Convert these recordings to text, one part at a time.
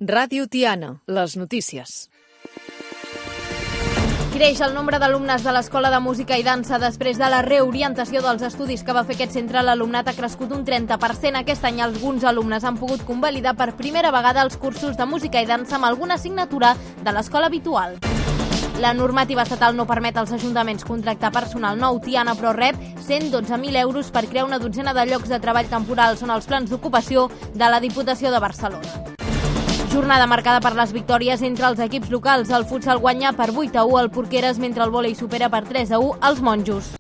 Ràdio Tiana, les notícies. Creix el nombre d'alumnes de l'Escola de Música i Dansa. Després de la reorientació dels estudis que va fer aquest centre, l'alumnat ha crescut un 30%. Aquest any alguns alumnes han pogut convalidar per primera vegada els cursos de música i dansa amb alguna assignatura de l'escola habitual. La normativa estatal no permet als ajuntaments contractar personal nou. Tiana, però, rep 112.000 euros per crear una dotzena de llocs de treball temporals. Són els plans d'ocupació de la Diputació de Barcelona. Jornada marcada per les victòries entre els equips locals. El futsal guanya per 8-1 al Porqueres, mentre el vòlei supera per 3-1 als Monjos.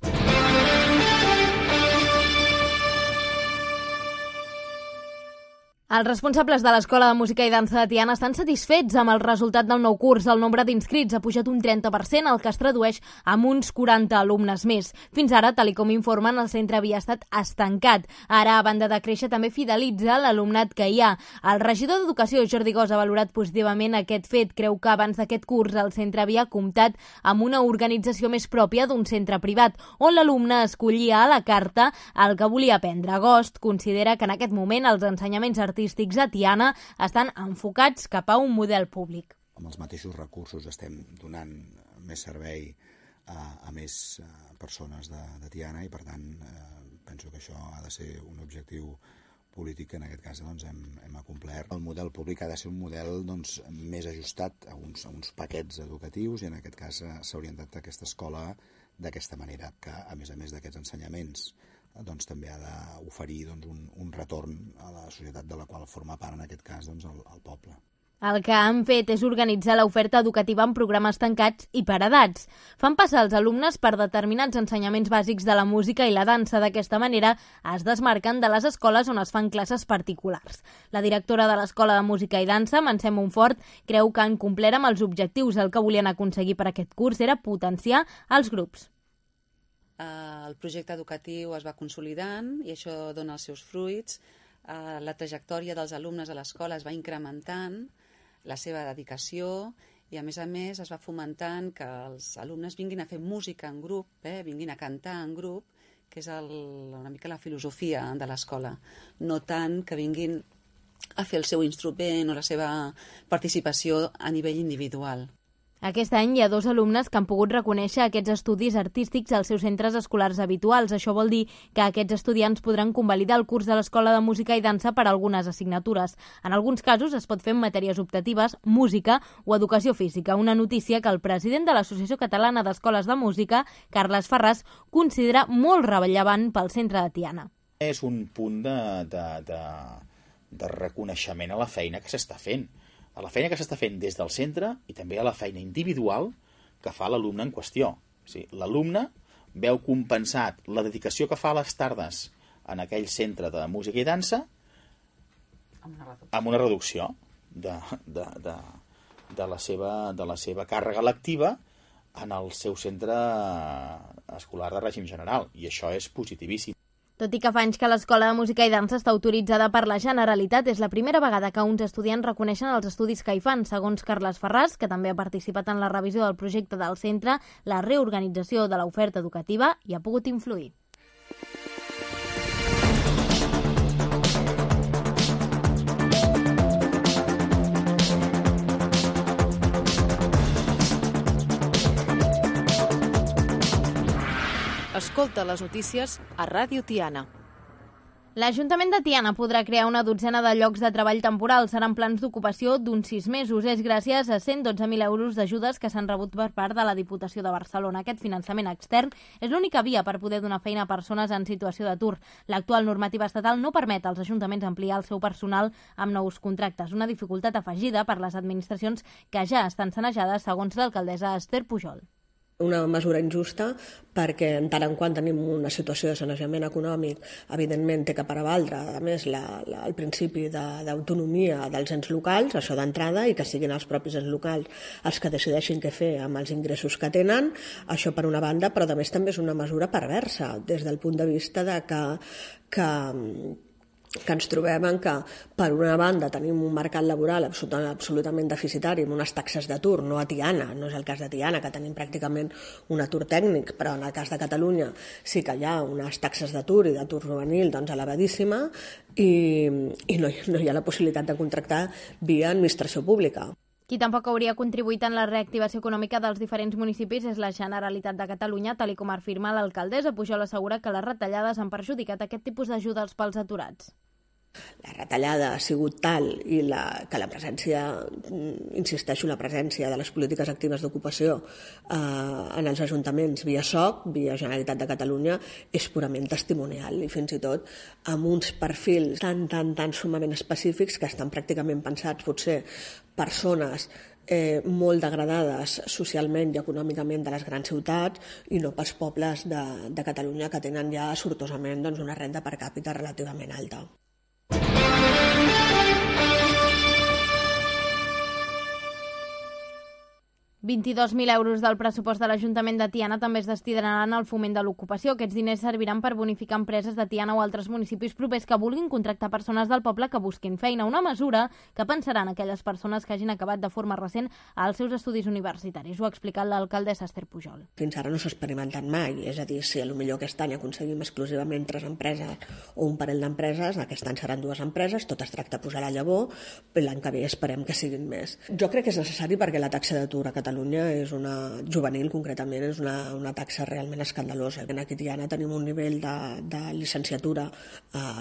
Els responsables de l'Escola de Música i Dansa de Tiana estan satisfets amb el resultat del nou curs. El nombre d'inscrits ha pujat un 30%, el que es tradueix en uns 40 alumnes més. Fins ara, tal com informen, el centre havia estat estancat. Ara, a banda de créixer, també fidelitza l'alumnat que hi ha. El regidor d'Educació, Jordi Gos, ha valorat positivament aquest fet. Creu que abans d'aquest curs el centre havia comptat amb una organització més pròpia d'un centre privat, on l'alumne escollia a la carta el que volia aprendre. Gos considera que en aquest moment els ensenyaments artístics a Tiana estan enfocats cap a un model públic. Amb els mateixos recursos estem donant més servei a més persones de Tiana i, per tant, penso que això ha de ser un objectiu polític que en aquest cas hem acomplert. El model públic ha de ser un model més ajustat a uns paquets educatius i en aquest cas s'ha orientat aquesta escola d'aquesta manera, que a més d'aquests ensenyaments també ha d'oferir un retorn a la societat de la qual forma part, en aquest cas, el poble. El que han fet és organitzar l'oferta educativa en programes tancats i per edats. Fan passar els alumnes per determinats ensenyaments bàsics de la música i la dansa. D'aquesta manera es desmarquen de les escoles on es fan classes particulars. La directora de l'Escola de Música i Dansa, Mercè Montfort, creu que han complert amb els objectius. El que volien aconseguir per aquest curs era potenciar els grups. El projecte educatiu es va consolidant i això dona els seus fruits. La trajectòria dels alumnes a l'escola es va incrementant, la seva dedicació i, a més, es va fomentant que els alumnes vinguin a fer música en grup, vinguin a cantar en grup, que és una mica la filosofia de l'escola. No tant que vinguin a fer el seu instrument o la seva participació a nivell individual. Aquest any hi ha 2 alumnes que han pogut reconèixer aquests estudis artístics als seus centres escolars habituals. Això vol dir que aquests estudiants podran convalidar el curs de l'Escola de Música i Dansa per a algunes assignatures. En alguns casos es pot fer en matèries optatives, música o educació física. Una notícia que el president de l'Associació Catalana d'Escoles de Música, Carles Ferràs, considera molt rellevant pel centre de Tiana. És un punt de reconeixement a la feina que s'està fent. A la feina que s'està fent des del centre i també a la feina individual que fa l'alumne en qüestió. O sigui, l'alumne veu compensat la dedicació que fa a les tardes en aquell centre de música i dansa amb una reducció de la seva càrrega lectiva en el seu centre escolar de règim general, i això és positivíssim. Tot i que fa anys que l'Escola de Música i Dansa està autoritzada per la Generalitat, és la primera vegada que uns estudiants reconeixen els estudis que hi fan. Segons Carles Ferràs, que també ha participat en la revisió del projecte del centre, la reorganització de l'oferta educativa hi ha pogut influir. Escolta les notícies a Ràdio Tiana. L'Ajuntament de Tiana podrà crear una dotzena de llocs de treball temporals. Seran plans d'ocupació d'uns 6 mesos. És gràcies a 112.000 euros d'ajudes que s'han rebut per part de la Diputació de Barcelona. Aquest finançament extern és l'única via per poder donar feina a persones en situació d'atur. L'actual normativa estatal no permet als ajuntaments ampliar el seu personal amb nous contractes, una dificultat afegida per les administracions que ja estan sanejades, segons l'alcaldessa Esther Pujol. Una mesura injusta perquè en tant en quant tenim una situació de sanejament econòmic, evidentment té que prevaldre, a més, el principi d'autonomia dels ens locals, això d'entrada, i que siguin els propis ens locals els que decideixin què fer amb els ingressos que tenen, això per una banda, però a més també és una mesura perversa des del punt de vista de que que ens trobem en que, per una banda, tenim un mercat laboral absolutament deficitari, amb unes taxes d'atur, no a Tiana, no és el cas de Tiana, que tenim pràcticament un atur tècnic, però en el cas de Catalunya sí que hi ha unes taxes d'atur i d'atur juvenil elevadíssima i no hi ha la possibilitat de contractar via administració pública. Qui tampoc hauria contribuït en la reactivació econòmica dels diferents municipis és la Generalitat de Catalunya, tal com afirma l'alcaldessa. Pujol assegura que les retallades han perjudicat aquest tipus d'ajudes pels aturats. La retallada ha sigut tal i que la presència, insisteixo, la presència de les polítiques actives d'ocupació en els ajuntaments via SOC, via Generalitat de Catalunya, és purament testimonial i fins i tot amb uns perfils tan sumament específics que estan pràcticament pensats potser persones molt degradades socialment i econòmicament de les grans ciutats i no pels pobles de Catalunya que tenen ja sortosament una renda per càpita relativament alta. 22.000 euros del pressupost de l'Ajuntament de Tiana també es destinaran al foment de l'ocupació. Aquests diners serviran per bonificar empreses de Tiana o altres municipis propers que vulguin contractar persones del poble que busquin feina. Una mesura que pensaran aquelles persones que hagin acabat de forma recent als seus estudis universitaris. Ho ha explicat l'alcaldessa Esther Pujol. Fins ara no s'ha experimentat mai, és a dir, si potser aquest any aconseguim exclusivament 3 empreses o un parell d'empreses, aquest any seran 2 empreses, tot es tracta de posar la llavor, l'any que ve esperem que siguin més. Jo crec que és necessari perquè la taxa d'atur a Catalunya és juvenil concretament, és una taxa realment escandalosa. Aquí a Tiana tenim un nivell de llicenciatura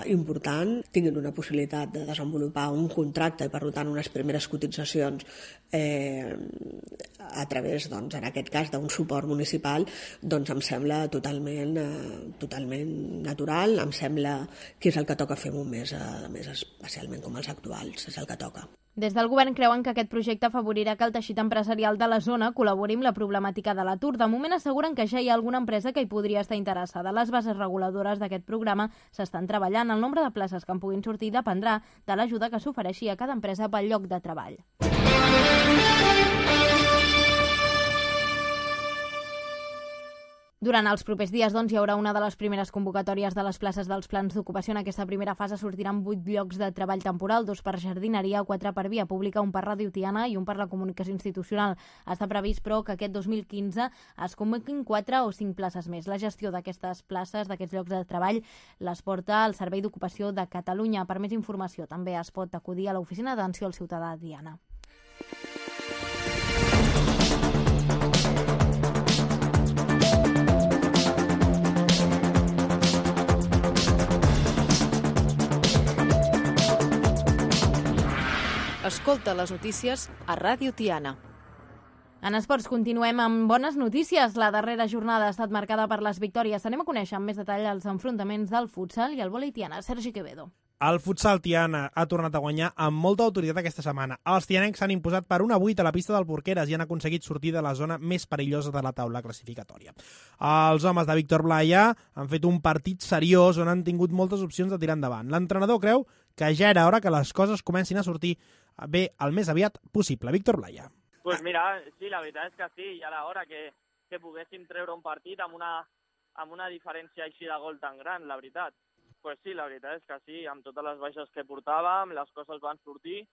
important, tinguin una possibilitat de desenvolupar un contracte i per tant unes primeres cotitzacions a través, en aquest cas, d'un suport municipal, em sembla totalment natural, em sembla que és el que toca fer un mes, a més especialment com els actuals, és el que toca. Des del govern creuen que aquest projecte afavorirà que el teixit empresarial de la zona col·labori amb la problemàtica de l'atur. De moment asseguren que ja hi ha alguna empresa que hi podria estar interessada. Les bases reguladores d'aquest programa s'estan treballant. El nombre de places que en puguin sortir dependrà de l'ajuda que s'ofereixi a cada empresa pel lloc de treball. Durant els propers dies, hi haurà una de les primeres convocatòries de les places dels plans d'ocupació. En aquesta primera fase sortiran 8 llocs de treball temporal, 2 per jardineria, 4 per via pública, 1 per Ràdio Tiana i 1 per la comunicació institucional. Està previst, però, que aquest 2015 es convoquin 4 o 5 places més. La gestió d'aquestes places, d'aquests llocs de treball, les porta el Servei d'Ocupació de Catalunya. Per més informació, també es pot acudir a l'Oficina d'Atenció al Ciutadà de Tiana. Escolta les notícies a Ràdio Tiana. En esports continuem amb bones notícies. La darrera jornada ha estat marcada per les victòries. Anem a conèixer amb més detall els enfrontaments del futsal i el vòlei tiana. Sergi Quevedo. El futsal Tiana ha tornat a guanyar amb molta autoritat aquesta setmana. Els tianencs s'han imposat per 1-8 a la pista del Porqueres i han aconseguit sortir de la zona més perillosa de la taula classificatòria. Els homes de Víctor Blaya han fet un partit seriós on han tingut moltes opcions de tirar endavant. L'entrenador creu que ja era hora que les coses comencin a sortir bé el més aviat possible. Víctor Blaya. Pues mira, sí, la veritat és que sí, ja era hora que poguéssim treure un partit amb una diferència així de gol tan gran, la veritat. Pues sí, la veritat és que sí, amb totes les baixes que portàvem, les coses van sortir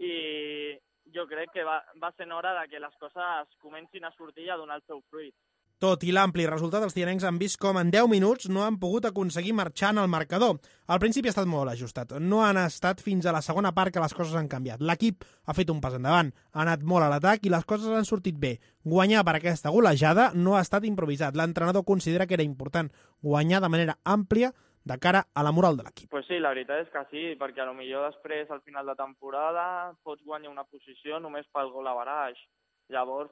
i jo crec que va ser hora de que les coses comencin a sortir i a donar el seu fruit. Tot i l'ampli resultat, els tianencs han vist com en 10 minuts no han pogut aconseguir marxar en el marcador. Al principi ha estat molt ajustat. No han estat fins a la segona part que les coses han canviat. L'equip ha fet un pas endavant, ha anat molt a l'atac i les coses han sortit bé. Guanyar per aquesta golejada no ha estat improvisat. L'entrenador considera que era important guanyar de manera àmplia de cara a la moral de l'equip. Pues sí, la veritat és que sí, perquè potser després, al final de temporada, pots guanyar una posició només pel gol a baraix. Llavors,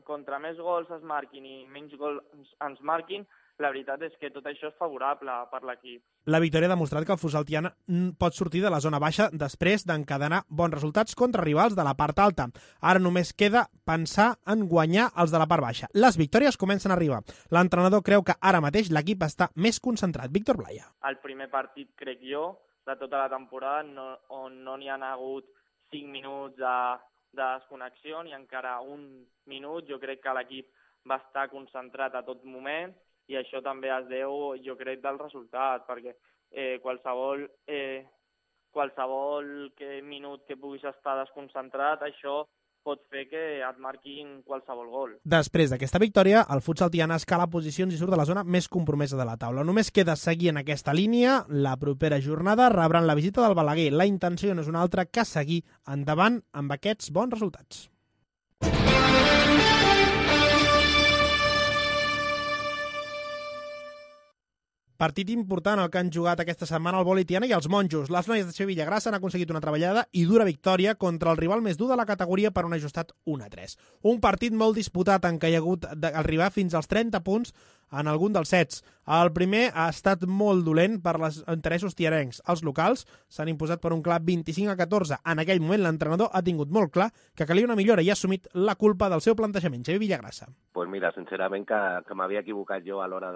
contra més gols es marquin i menys gols ens marquin, la veritat és que tot això és favorable per l'equip. La victòria ha demostrat que el futsal tiana pot sortir de la zona baixa després d'encadenar bons resultats contra rivals de la part alta. Ara només queda pensar en guanyar els de la part baixa. Les victòries comencen a arribar. L'entrenador creu que ara mateix l'equip està més concentrat. Víctor Blaya. El primer partit, crec jo, de tota la temporada, on no n'hi ha hagut 5 minuts de desconnexió ni encara un minut. Jo crec que l'equip va estar concentrat a tot moment i això també es deu, jo crec, del resultat, perquè qualsevol minut que puguis estar desconcentrat, això pot fer que et marquin qualsevol gol. Després d'aquesta victòria, el futsal Tiana escala posicions i surt de la zona més compromesa de la taula. Només queda seguir en aquesta línia. La propera jornada rebran la visita del Balaguer. La intenció no és una altra que seguir endavant amb aquests bons resultats. Partit important el que han jugat aquesta setmana el vòlei Tiana i els monjos. Les noies de Xavier Villagrassa han aconseguit una treballada i dura victòria contra el rival més dur de la categoria per un ajustat 1-3. Un partit molt disputat en què hi ha hagut d'arribar fins als 30 punts en algun dels sets. El primer ha estat molt dolent per als interessos tianencs. Els locals s'han imposat per un clar 25-14. En aquell moment l'entrenador ha tingut molt clar que calia una millora i ha assumit la culpa del seu plantejament. Xavier Villagrassa. Pues mira, sincerament que m'havia equivocat jo a l'hora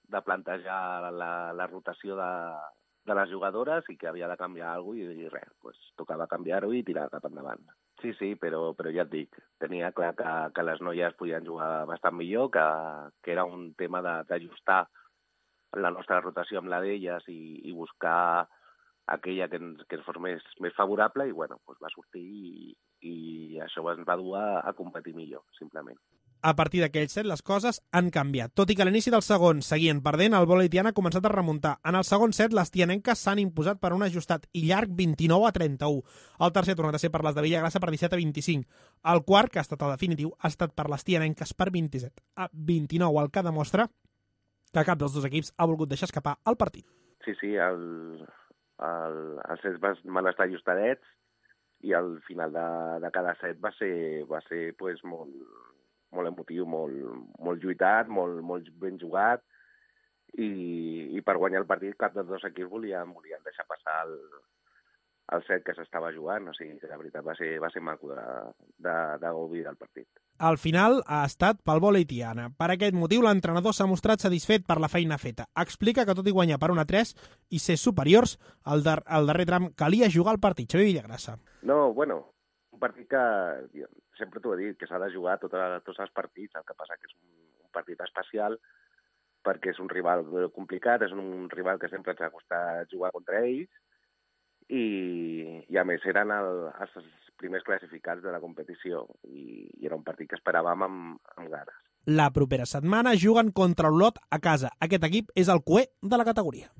de plantejar la rotació de les jugadores i que havia de canviar alguna cosa i res, pues, tocava canviar-ho i tirar cap endavant. Sí, però ja et dic, tenia clar que les noies podien jugar bastant millor, que era un tema d'ajustar la nostra rotació amb la d'elles i buscar aquella que ens fos més favorable i bueno, pues va sortir i això ens va dur a competir millor, simplement. A partir d'aquell set, les coses han canviat. Tot i que a l'inici del segon seguien perdent, el vòlei Tiana ha començat a remuntar. En el segon set, les tianenques s'han imposat per un ajustat i llarg 29-31. El tercer ha tornat a ser per les de Villagrassa per 17-25. El quart, que ha estat el definitiu, ha estat per les tianenques per 27-29, el que demostra que cap dels dos equips ha volgut deixar escapar el partit. Sí, els sets van estar ajustadets i al final de cada set va ser pues, molt emotiu, molt lluitat, molt ben jugat i per guanyar el partit cap dels dos equips volien deixar passar el set que s'estava jugant, o sigui que la veritat va ser maco de gaudir del partit. Al final ha estat pel vòlei Tiana. Per aquest motiu l'entrenador s'ha mostrat satisfet per la feina feta. Explica que tot i guanyar per 1-3 i ser superiors, al darrer tram calia jugar el partit. Xavier Villagrassa. No, bueno, un partit que sempre t'ho he dit, que s'ha de jugar tots els partits, el que passa que és un partit especial perquè és un rival complicat, és un rival que sempre ens ha costat jugar contra ells i a més eren els primers classificats de la competició i era un partit que esperàvem amb ganes. La propera setmana juguen contra Olot a casa. Aquest equip és el cué de la categoria.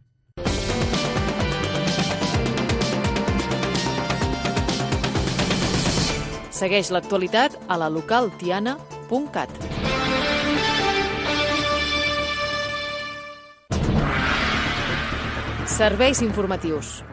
Segueix l'actualitat a la localtiana.cat. Serveis informatius.